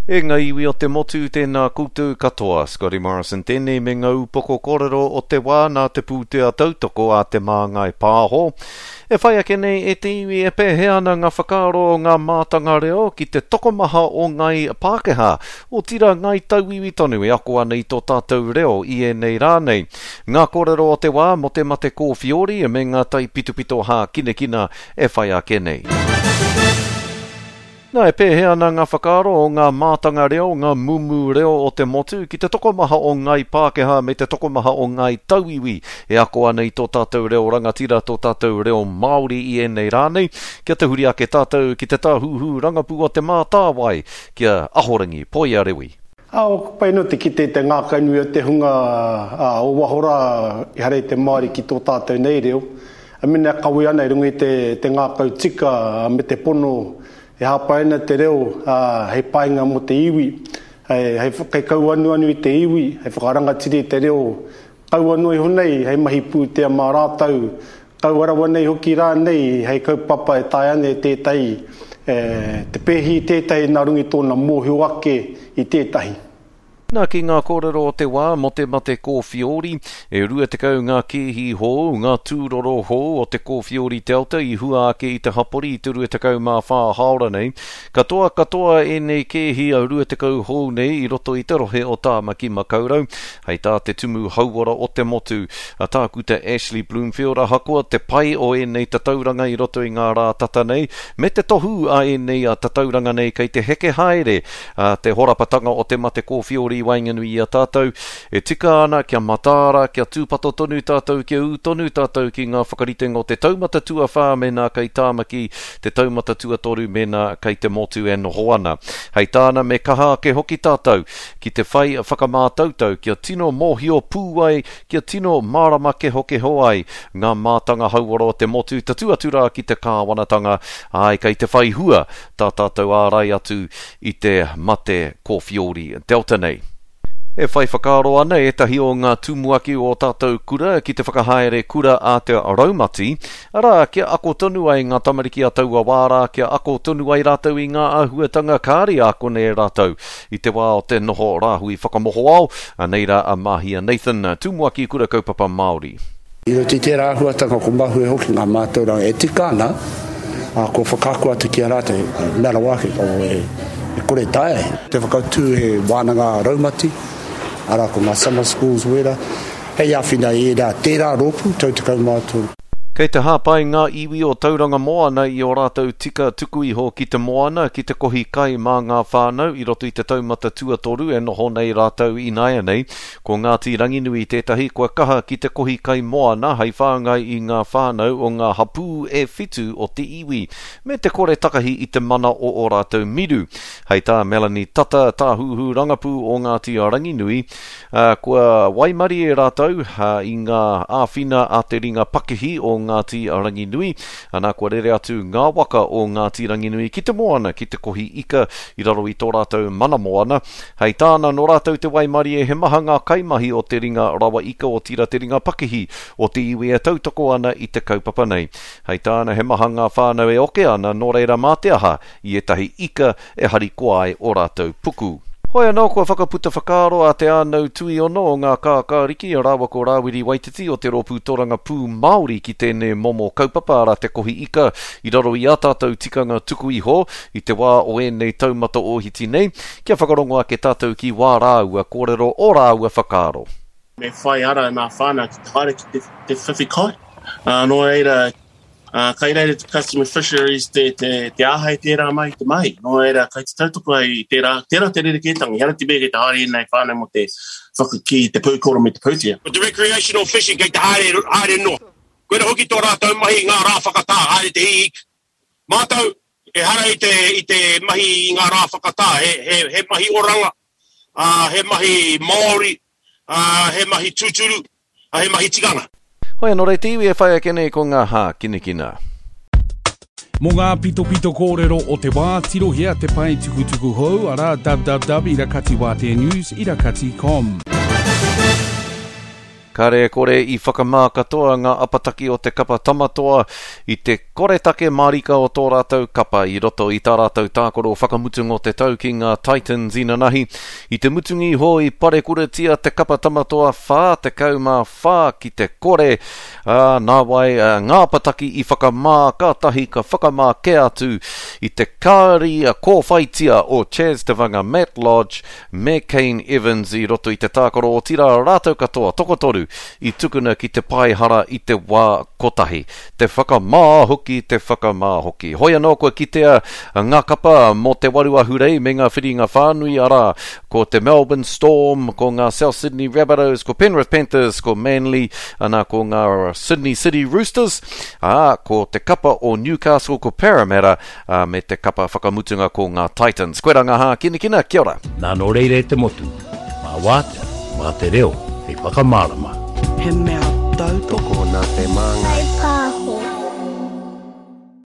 E nga iwi o te motu, tēnā koutou katoa. Scotty Morrison tēnei me nga upoko kōrero o te wā nā te pūtea tautoko a Te Māngai Pāho. E whai ake nei e te iwi e pēhea ana nga whakaaro o nga mātanga reo ki te tokomaha o ngai Pākehā, otira ngai tauiwi tonu e ako ana i tō tātou reo i ēnei rā nei. Nga kōrero o te wā mō te mate kōwhiori me nga taipitopito hākinakina e whai ake nei. Nā, e pēhea ana ngā whakaaro o ngā mātanga reo, ngā mumu reo o te motu ki te tokomaha o ngāi Pākehā me te tokomaha o ngāi tauiwi e ako ana i tō tātou reo rangatira, tō tātou reo Māori i ēnei rā nei? Kia tahuri ake tātou ki te tāhuhu rangapū o Te Mātāwai, ki a Ahorangi Poia Rewi. Ā, pai anō te kite i te ngākaunui o te hunga o waho rā ehara i te Māori ki tō tātou nei reo, mena e kawe ana i runga i te ngākau tika me te pono e hāpai ana te reo hei painga mō te iwi, hei kauanuanu i te iwi, hei whakarangatira i te reo Kaua noa iho nei hei mahi pūtea mā rātou, kaua rawa nei hoki rānei hei kaupapa e taea ana e tētahi te pēhi i tētahi nā runga i tōna mōhio ake i tētahi. Nā, ki ngā kōrero o te wā mō te mate kōwhiori, e 20 ngā kēhi hou, ngā tūroro hou o te kōwhiori Delta i hua ake i te hapori i te 24 hāora nei. Katoa katoa ēnei kēhi a 20 hou nei i roto i te rohe o Tāmaki Makaurau. Hei tā te Tumu Hauora o te motu, a Tākuta Ashley Bloomfield, ahakoa te pai o ēnei tatauranga i roto i ngā rā tata nei, me te tohu a ēnei a tatauranga nei kei te heke haere a te horapatanga o te mate kōwhiori i waenganui i a tātou, e tika ana kia mataara, kia tūpato tonu tātou, kia ū tonu tātou ki ngā whakaritenga o te taumata tuawhā mēnā kei Tāmaki, te taumata tuatoru mēnā kei te motu e noho ana. Hei tāna me kaha ake hoki tātou ki te whai whakamātautau kia tino mōhio pū ai, kia tino mārama kehokeho ai ngā mātanga hauora o te motu tatū atu rā ki te kāwanatanga, āe kei te whai hua tā tātou ārai atu i te mate kōwhiori Delta nei. E whai whakaaro ana ētahi o ngā tumuaki o ō tātou kura ki te whakahaere kura a te raumati, arā, kia ako tonu ai ngā tamariki a taua wā rā, kia ako tonu ai rātou i ngā āhuatanga kāre i ākona e rātou i te wā o te noho rāhui whakamohoao. Anei rā a Mahia Nathan, Tumuaki Kura Kaupapa Māori. I roto i tērā āhuatanga ko mahue hoki ngā mātauranga e tika ana, ā, kua whakaako atu ki a rātou, he mea rawa ake, o, e, e kore taea. Te whakatū he wānanga raumati, arā ko ngā summer schools wērā, hei āwhina i ērā, tērā rōpū, tau 13. Kei te hāpai ngā iwi o Tauranga Moana i ō rātou tika tuku iho ki te moana, ki te kohi kai mā ngā whānau i roto i te taumata tuatoru e noho nei rātou ināianei. Ko Ngāti Ranginui tētahi kua kaha ki te kohi kai moana hei whāngai i ngā whānau o ngā hapū e whitu o te iwi, me te kore takahi i te mana o ō rātou miru. Hei tā Melanie Tata, tāhuhu rangapū o Ngāti Ranginui, kua waimarie rātou i ngā āwhina a te ringa pakihi o Ngāti Ranginui, ana kua rere atu ngā waka o Ngāti Ranginui ki te moana ki te kohi ika i raro i tō rātou mana moana. Hei tāna, nō rātou te waimarie he maha ngā kaimahi o te ringa rawa ika otirā te ringa pakihi o te iwi e tautoko ana i te kaupapa nei. Hei tāna, he maha ngā whānau e oke ana, nō reira mā te aha i ētahi ika e harikoa ai ō rātou puku. Hoi anō, kua whakaputa whakaaro a Te Ānau Tuiono o Ngā Kākāriki rāua ko Rāwiri Waititi o te Rōpū Torangapū Māori ki tēnei momo kaupapa arā te kohi ika i raro i ā tātou tikanga tuku iho i te wā o ēnei taumata ōhiti nei. Kia whakarongo ake tātou ki wā rāua kōrero, ō rāua whakaaro. Me whai ara nā whānau ki te haere ki te, te whiwhi kai. Uh, nō reira, uh, kai reira te Customer Fisheries te, te, te āhei tērā mai te mahi. Nō reira, kai te tautoko ai i tērā, tērā te rerekētanga. Ehara te mea kei te haere ēnei whānau mō te whakakī i te pūkoro me te pūtea. Ko te recreational fishing kei te haere, haere noa. Koira hoki tō rātou mahi i ngā rā whakatā, haere te hī ika. Mātou, ehara i te, i te mahi i ngā rā whakatā, he, he, he mahi oranga, ā, he mahi Māori, ā, he mahi tūturu, ā, he mahi tikanga. Hoi anō rei te iwi e whai ake nei ko ngā hākinakina. Mō ngā pitopito kōrero o te wā, tirohia te pae tukutuku hou, arā, www irakatiwāteanews irakati com. Kare kore i whakamā katoa ngā apataki o te kapa Tamatoa i te koretake mārika o tō rātou kapa i roto i tā rātou tākaro whakamutunga o te tau ki ngā Titans inanahi. I te mutunga iho i parekuratia te kapa Tamatoa 44 ki te kore, ā, nāwai ngā apataki i whakamā kātahi ka whakamā kē atu i te kāri kōwhaitia o Chas Te Matt Lodge me Kane Evans i roto i te tākaro otirā rātou katoa tokotoru i tukuna ki te pae hara i te wā kotahi. Te whakamā hoki, te whakamā hoki. Hoi anō kua kitea ngā kapa mō te waru ahurei me ngā whiringa whānui arā, ko te Melbourne Storm, ko ngā South Sydney Rabbitohs, ko Penrith Panthers, ko Manly, ana ko ngā Sydney City Roosters, ā, ko te kapa o Newcastle, ko Parramatta, ā, me te kapa whakamutunga ko ngā Titans. Koirā ngā hākinakina, kia ora! Nā nō reira e te motu, mā wātea, mā te reo hei whakamārama. He mea tautoko nā te Māngai.